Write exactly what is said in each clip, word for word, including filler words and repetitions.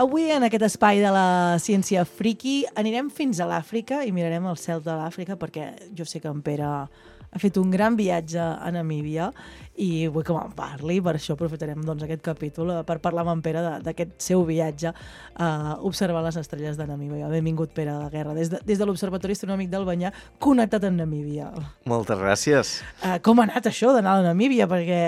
Avui, en aquest espai de la ciència friki, anirem fins a l'Àfrica i mirarem el cel de l'Àfrica, perquè jo sé que en Pere ha fet un gran viatge a Namíbia i vull que me'n parli, per això aprofitarem doncs, aquest capítol per parlar amb en Pere d'aquest seu viatge a observar les estrelles de Namíbia. Benvingut, Pere de Guerra, des de, des de l'Observatori Astronòmic del Banyà, connectat amb Namíbia. Moltes gràcies. Uh, com ha anat això d'anar a Namíbia? Perquè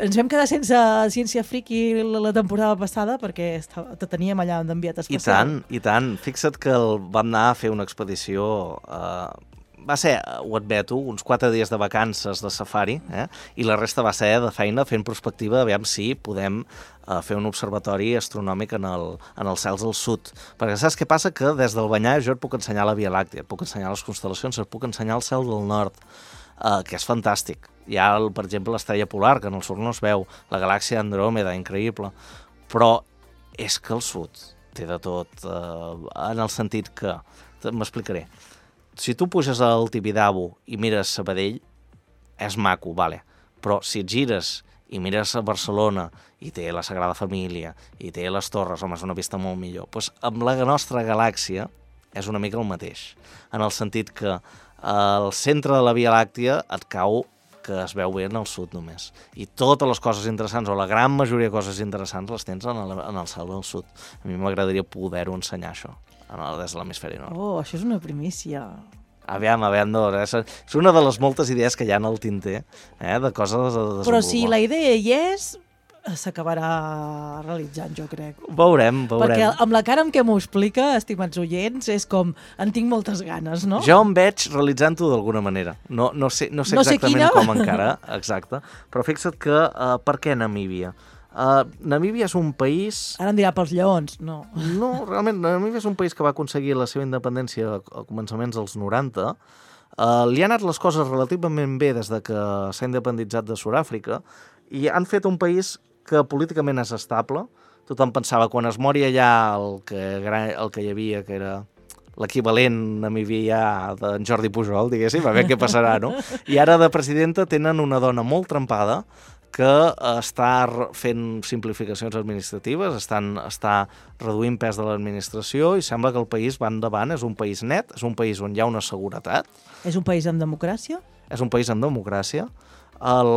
ens vam quedar sense ciència friki la, la temporada passada perquè estava, te teníem allà d'enviat especial. I tant, i tant. Fixa't que el, vam anar a fer una expedició... Uh, va ser, ho admeto, uns quatre dies de vacances de safari, eh? I la resta va ser de feina fent prospectiva, aviam si podem uh, fer un observatori astronòmic en, el, en els cels del sud. Perquè saps què passa? Que des del Banyà jo et puc ensenyar la Via Làctia, et puc ensenyar les constel·lacions, et puc ensenyar el cel del nord, uh, que és fantàstic. Hi ha, el, per exemple, l'estrella polar, que en el sud no es veu, la galàxia Andròmeda, increïble, però és que el sud té de tot, uh, en el sentit que... M'explicaré. Si tu puges al Tibidabo i mires Sabadell, és maco, vale. Però si et gires i mires a Barcelona i té la Sagrada Família i té les torres, home, és una vista molt millor. Doncs amb la nostra galàxia és una mica el mateix, en el sentit que al centre de la Via Làctia et cau que es veu bé en el sud només. I totes les coses interessants, o la gran majoria de coses interessants, les tens en el, en el cel del sud. A mi m'agradaria poder-ho ensenyar, això, des de l'hemisferi nord. Oh, això és una primícia. Aviam, aviam, no, és una de les moltes idees que hi ha en el tinter, eh, de coses a desenvolupar. Però si la idea hi és, s'acabarà realitzant, jo crec. Veurem, veurem. Perquè amb la cara amb què m'ho explica, estimats oients, és com, en tinc moltes ganes, no? Jo em veig realitzant-ho d'alguna manera. No, no sé, no sé no sé exactament quina. com encara, exacte. Però fixa't que, uh, per què Namíbia? Uh, Namíbia és un país... Ara em dirà pels lleons, no. No, realment, Namíbia és un país que va aconseguir la seva independència a començaments dels noranta. Uh, li han anat les coses relativament bé des de que s'ha independitzat de Sud-àfrica i han fet un país que políticament és estable. Tothom pensava, quan es mori allà el que, el que hi havia, que era l'equivalent namibià d'en Jordi Pujol, diguéssim, a veure què passarà, no? I ara de presidenta tenen una dona molt trempada que està fent simplificacions administratives, estan, està reduint pes de l'administració i sembla que el país va endavant, és un país net, és un país on hi ha una seguretat. És un país amb democràcia? És un país amb democràcia. El...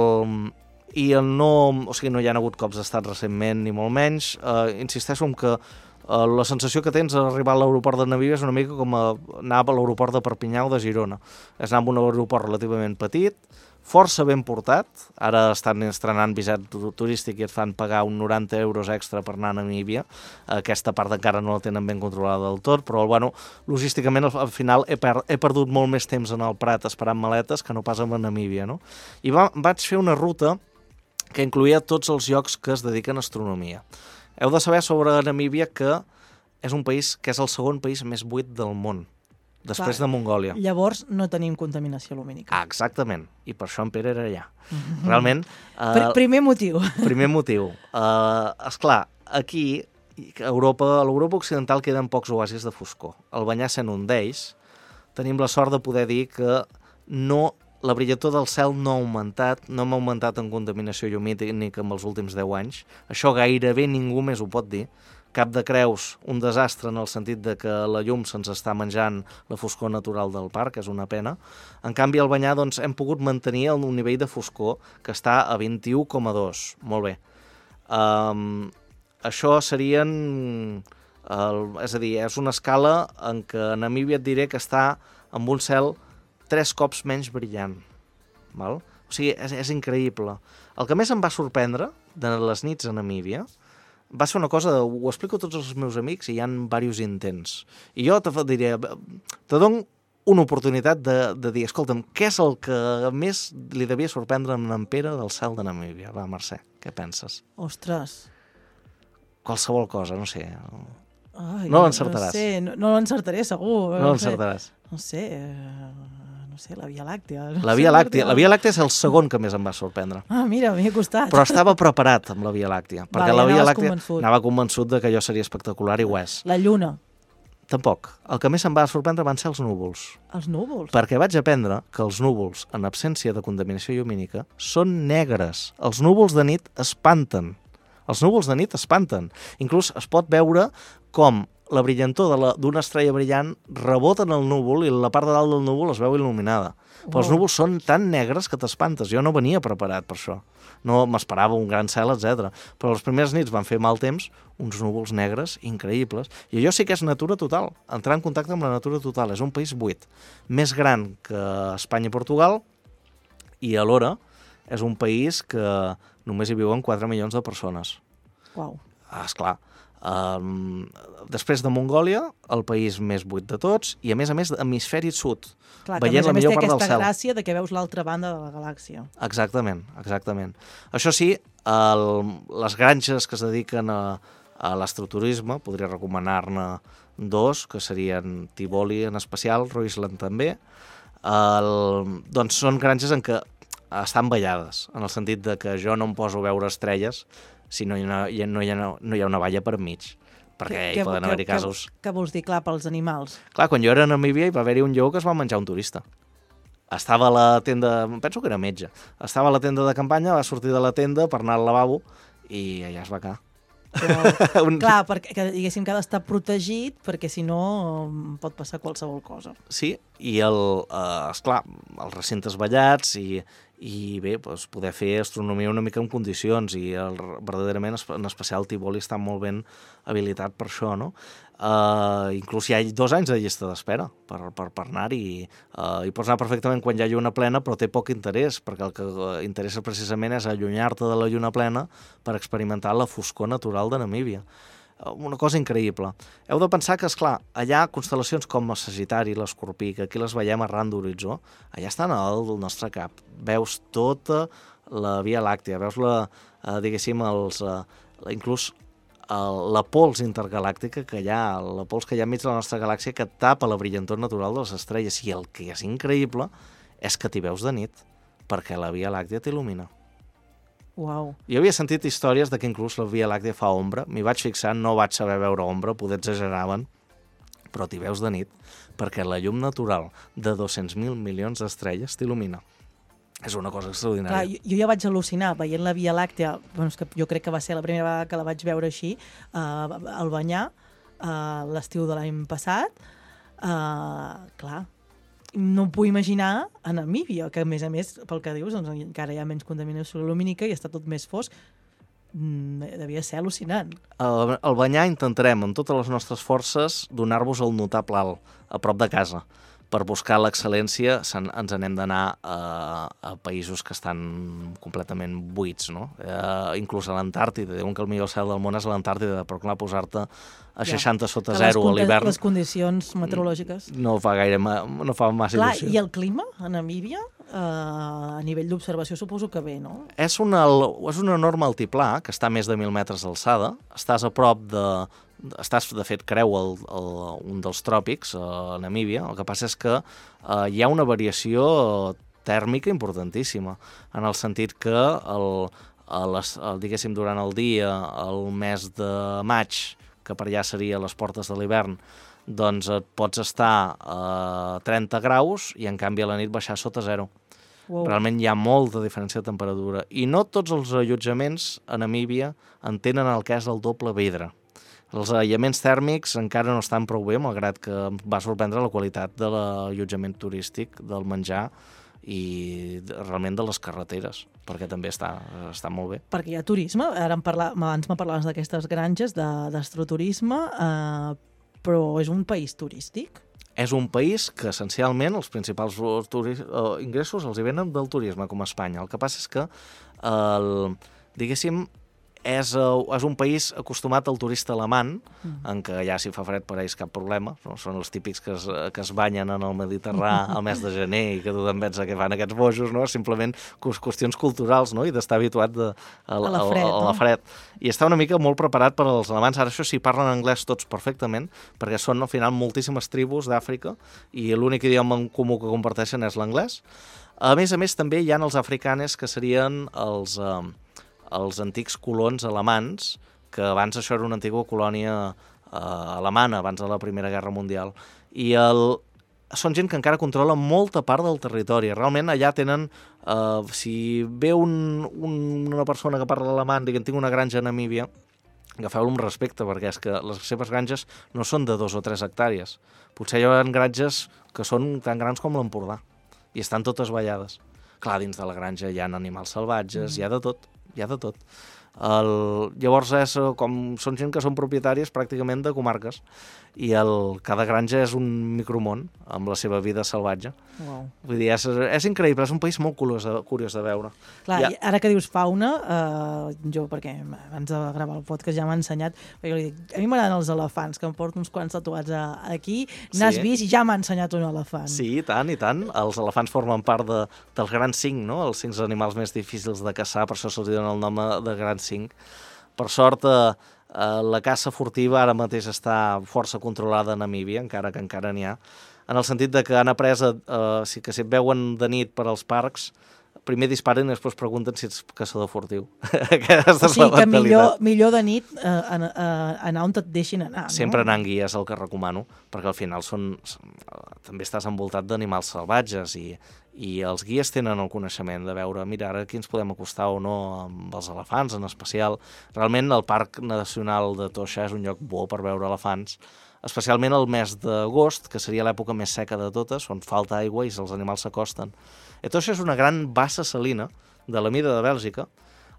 I el no, o sigui, no hi ha hagut cops d'estat recentment, ni molt menys. Uh, insisteixo en que uh, la sensació que tens a arribar a l'aeroport de Namíbia és una mica com a anar a l'aeroport de Perpinyà o de Girona. És anar a un aeroport relativament petit, força ben portat. Ara estan estrenant visat turístic i et fan pagar un noranta euros extra per anar a Namíbia. Aquesta part encara no la tenen ben controlada del tot, però bueno, logísticament al final he, per, he perdut molt més temps en el Prat esperant maletes que no pas a Namíbia, no? I va, vaig fer una ruta que incloïa tots els llocs que es dediquen a astronomia. Heu de saber sobre Namíbia que és un país que és el segon país més buit del món, després Clar, de Mongòlia. Llavors no tenim contaminació lumínica. Ah, exactament, i per això en Pere era allà. Mm-hmm. Realment... Uh, Pr primer motiu. Primer motiu. Uh, esclar, aquí, a Europa, a l'Europa occidental queden pocs oasis de foscor. El Banyà sent un d'ells, tenim la sort de poder dir que no... La brillantor del cel no ha augmentat, no hem augmentat en contaminació llumínica en els últims deu anys. Això gairebé ningú més ho pot dir. Cap de Creus, un desastre en el sentit de que la llum se'ns està menjant la foscor natural del parc, és una pena. En canvi, al Banyà doncs, hem pogut mantenir un nivell de foscor que està a vint-i-u coma dos. Molt bé. Um, això serien... El, és a dir, és una escala en què Namíbia et diré que està amb un cel tres cops menys brillant. Val? O sigui, és, és increïble. El que més em va sorprendre de les nits a Namíbia va ser una cosa, ho explico a tots els meus amics i hi ha diversos intents. I jo te diré, te dono una oportunitat de, de dir, escolta'm, què és el que més li devia sorprendre a en Pere del cel de Namíbia? Va, Mercè, què penses? Ostres. Qualsevol cosa, no sé. Ai, no l'encertaràs. No sé, no, no l'encertaré, segur. No l'encertaràs. No sé... No sé, la Via Làctea. La Via Làctea. La Via Làctea és el segon que més em va sorprendre. Ah, mira, m'hi he costat. Però estava preparat amb la Via Làctea. Perquè vale, la Via Làctea convençut. anava convençut de que allò seria espectacular i ho és. La Lluna. Tampoc. El que més em va sorprendre van ser els núvols. Els núvols? Perquè vaig aprendre que els núvols, en absència de contaminació llumínica, són negres. Els núvols de nit espanten. Els núvols de nit espanten. Inclús es pot veure com la brillantor d'una estrella brillant rebota en el núvol i la part de dalt del núvol es veu il·luminada. Però els núvols són tan negres que t'espantes. Jo no venia preparat per això. No m'esperava un gran cel, etcètera. Però les primeres nits van fer mal temps, uns núvols negres increïbles. I allò sí que és natura total. Entrar en contacte amb la natura total. És un país buit. Més gran que Espanya i Portugal i alhora és un país que només hi viuen quatre milions de persones. Uau. Ah, esclar. Um, després de Mongòlia, el país més buit de tots, i a més a més hemisferi sud, Clar, veient que a la més millor té part del aquesta cel. gràcia de que veus l'altra banda de la galàxia. Exactament, exactament. Això sí, el, les granges que es dediquen a, a l'astroturisme, podria recomanar-ne dos, que serien Tivoli en especial, Roisland també, el, doncs són granges en què estan ballades, en el sentit de que jo no em poso a veure estrelles si no hi ha, no hi ha, no hi ha una valla per mig, perquè Que- hi poden que- haver-hi que- casos. Què vols dir, clar, pels animals? Clar, quan jo era a Namíbia hi va haver-hi un lleó que es va menjar un turista. Estava a la tenda, penso que era metge, estava a la tenda de campanya, va sortir de la tenda per anar al lavabo i allà es va quedar. Però, Un- clar, perquè que, diguéssim que ha d'estar protegit perquè si no em pot passar qualsevol cosa. Sí, i el, eh, esclar, els recintes ballats i, i bé, doncs, poder fer astronomia una mica en condicions i el, verdaderament, en especial Tivoli està molt ben habilitat per això, no? Uh, inclús hi ha dos anys de llista d'espera per, per, per anar-hi. Uh, hi pots anar perfectament quan hi ha lluna plena, però té poc interès, perquè el que interessa precisament és allunyar-te de la lluna plena per experimentar la foscor natural de Namíbia. Una cosa increïble. Heu de pensar que, esclar, allà constel·lacions com el Sagitari, l'Escorpí, que aquí les veiem arran d'horitzó, allà estan al nostre cap. Veus tota la Via Làctea, veus la, eh, diguéssim, els, eh, inclús el, la pols intergalàctica que hi ha, la pols que hi ha enmig de la nostra galàxia que tapa la brillantor natural de les estrelles. I el que és increïble és que t'hi veus de nit, perquè la Via Làctea t'il·lumina. Uau. Jo havia sentit històries de que inclús la Via Làctea fa ombra. M'hi vaig fixar, no vaig saber veure ombra, poder exageraven, però t'hi veus de nit perquè la llum natural de dos-cents mil milions d'estrelles t'il·lumina. És una cosa extraordinària. Clar, jo, jo ja vaig al·lucinar veient la Via Làctea, bueno, és que jo crec que va ser la primera vegada que la vaig veure així, uh, al Banyar, uh, l'estiu de l'any passat. Uh, clar, no em puc imaginar a Namíbia, que a més a més, pel que dius, doncs, encara hi ha menys contaminació lumínica i està tot més fosc. Mm, devia ser al·lucinant. Al, al Banyar intentarem, amb totes les nostres forces, donar-vos el notable alt, a prop de casa. Per buscar l'excel·lència ens n'hem d'anar a, a països que estan completament buits, no? Eh, inclús a l'Antàrtida. Diuen que el millor cel del món és a l'Antàrtida, però clar, posar-te a seixanta sota Que zero a les, l'hivern les condicions meteorològiques. no fa gaire, ma- no fa massa Clar, il·lusió. i el clima a Namíbia, eh, a nivell d'observació, suposo que bé, no? És, una, és un enorme altiplà que està a més de mil metres d'alçada. Estàs a prop de... Estàs, de fet, creu el, el, un dels tròpics, a Namíbia. El que passa és que eh, hi ha una variació tèrmica importantíssima, en el sentit que, el, el, el, diguéssim, durant el dia, el mes de maig, que per allà seria les portes de l'hivern, doncs et pots estar a trenta graus i, en canvi, a la nit baixar sota zero. Wow. Realment hi ha molta diferència de temperatura. I no tots els allotjaments a Namíbia entenen el que és el doble vidre. Els aïllaments tèrmics encara no estan prou bé, malgrat que em va sorprendre la qualitat de l'allotjament turístic, del menjar i de, realment de les carreteres, perquè també està, està molt bé. Perquè hi ha turisme, ara em parla, abans me parlaves d'aquestes granges de- d'astroturisme, eh, però és un país turístic? És un país que essencialment els principals turis, eh, ingressos els hi venen del turisme, com a Espanya. El que passa és que, el, diguéssim, És, és un país acostumat al turista alemany, mm. en què ja si fa fred per ells cap problema, no? Són els típics que es, que es banyen en el Mediterrani al mes de gener i que tothom pensa que fan aquests bojos, no? Simplement qüestions culturals, no? I d'estar habituat de, a, a la fred. A, a la fred. No? I està una mica molt preparat per als alemanys. Ara això sí, parlen anglès tots perfectament, perquè són al final moltíssimes tribus d'Àfrica i l'únic idioma en comú que comparteixen és l'anglès. A més a més, també hi ha els africanes, que serien els... Eh, els antics colons alemans, que abans això era una antiga colònia eh, alemana, abans de la Primera Guerra Mundial. I el, són gent que encara controla molta part del territori. Realment allà tenen, uh, si ve un, un, una persona que parla alemany i que tinc una granja a Namíbia, agafeu-lo amb respecte, perquè és que les seves granges no són de dos o tres hectàrees. Potser hi ha granges que són tan grans com l'Empordà i estan totes ballades. Clar, dins de la granja hi ha animals salvatges, mm. hi ha de tot, hi ha de tot. El, llavors és com són gent que són propietaris pràcticament de comarques i el, cada granja és un micromón amb la seva vida salvatge. Wow. Vull dir, és, és increïble, és un país molt curiós de, curiós de veure. Clar, ja... ara que dius fauna, eh, jo, perquè abans de gravar el podcast ja m'ha ensenyat, perquè jo li dic, a mi m'agraden els elefants, que em porto uns quants tatuats a, aquí, n'has sí. vist i ja m'ha ensenyat un elefant. Sí, i tant, i tant. Els elefants formen part de, dels grans cinc, no? Els cinc animals més difícils de caçar, per això se'ls dona el nom de grans cinc. Per sort, eh, eh, la caça furtiva ara mateix està força controlada a Namíbia, encara que encara n'hi ha, en el sentit de que han après, eh, si, que si et veuen de nit per als parcs, primer disparen i després pregunten si ets caçador furtiu. Aquesta o sigui és la que millor, millor de nit eh, anar, anar on et deixin anar. Sempre no? anar en guia és el que recomano, perquè al final són, també estàs envoltat d'animals salvatges i, i els guies tenen el coneixement de veure, mira, ara aquí ens podem acostar o no amb els elefants en especial. Realment el Parc Nacional de Toixa és un lloc bo per veure elefants, especialment el mes d'agost, que seria l'època més seca de totes, on falta aigua i els animals s'acosten. I Toixa és una gran bassa salina de la mida de Bèlgica.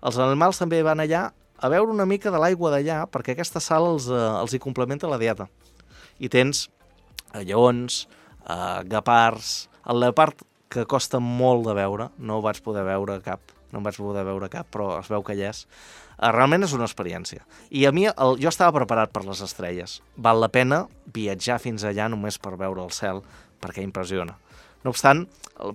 Els animals també van allà a veure una mica de l'aigua d'allà perquè aquesta sal els, eh, els hi complementa la dieta. I tens eh, lleons, eh, guepards, el leopard que costa molt de veure, no ho vaig poder veure cap, no em vaig poder veure cap, però es veu que hi és. Uh, realment és una experiència. I a mi, el, jo estava preparat per les estrelles. Val la pena viatjar fins allà només per veure el cel, perquè impressiona. No obstant,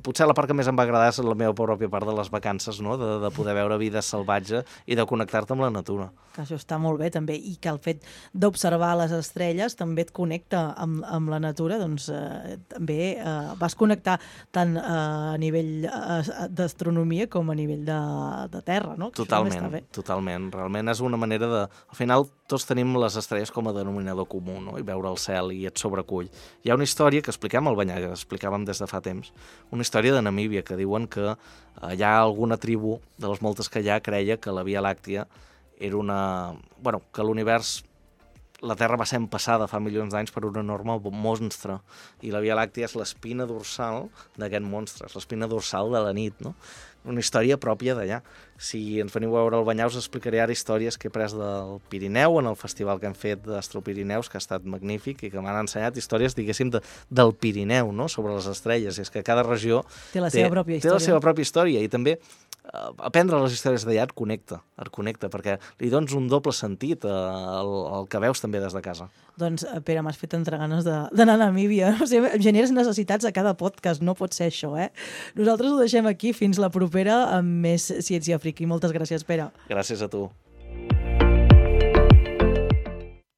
potser la part que més em va agradar és la meva pròpia part de les vacances, no? de, de poder veure vida salvatge i de connectar-te amb la natura. Que això està molt bé també, i que el fet d'observar les estrelles també et connecta amb, amb la natura, doncs eh, també eh, vas connectar tant eh, a nivell eh, d'astronomia com a nivell de, de terra, no? Que totalment, totalment. Realment és una manera de... Al final tots tenim les estrelles com a denominador comú, no? I veure el cel i et sobrecull. Hi ha una història que expliquem al Banyà, que explicàvem des de fa temps, una història de Namíbia que diuen que eh, hi ha alguna tribu, de les moltes que hi ha, creia que la Via Làctia era una... Bueno, que l'univers, la Terra va ser empassada fa milions d'anys per un enorme monstre, i la Via Làctia és l'espina dorsal d'aquest monstre, és l'espina dorsal de la nit, no? Una història pròpia d'allà. Si ens veniu a veure el Banyà, us explicaré ara històries que he pres del Pirineu, en el festival que hem fet d'Astropirineus, que ha estat magnífic, i que m'han ensenyat històries, diguéssim, de, del Pirineu, no?, sobre les estrelles. I és que cada regió té la seva pròpia història. Té la seva pròpia història, i també uh, aprendre les històries d'allà et connecta, et connecta, perquè li dones un doble sentit al, al que veus també des de casa. Doncs, Pere, m'has fet entrar ganes d'anar a Namíbia. O sigui, generes necessitats a cada podcast, no pot ser això, eh? Nosaltres ho deixem aquí, fins la propera amb més Ciència Friki. Moltes gràcies, Pere. Gràcies a tu.